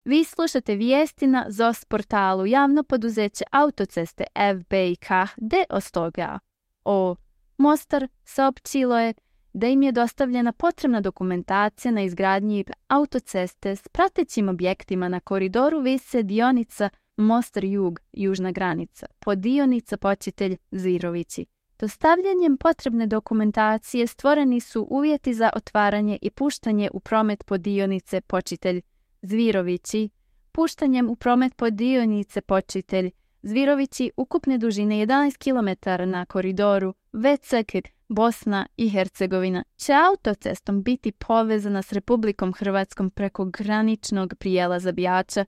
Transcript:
Vi slušate vijesti na ZOS portalu javno poduzeće autoceste FBK de Ostoga. Mostar saopćilo je da im je dostavljena potrebna dokumentacija na izgradnji autoceste s pratećim objektima na koridoru Vise dionica Mostar Jug, južna granica, podionica Počitelj Zvirovići. Dostavljanjem potrebne dokumentacije stvoreni su uvjeti za otvaranje i puštanje u promet podionice Počitelj Zvirovići. Puštanjem u promet podionice Počitelj Zvirovići ukupne dužine 11 km na koridoru Vecek, Bosna i Hercegovina će autocestom biti povezana s Republikom Hrvatskom preko graničnog prijelaza Bijača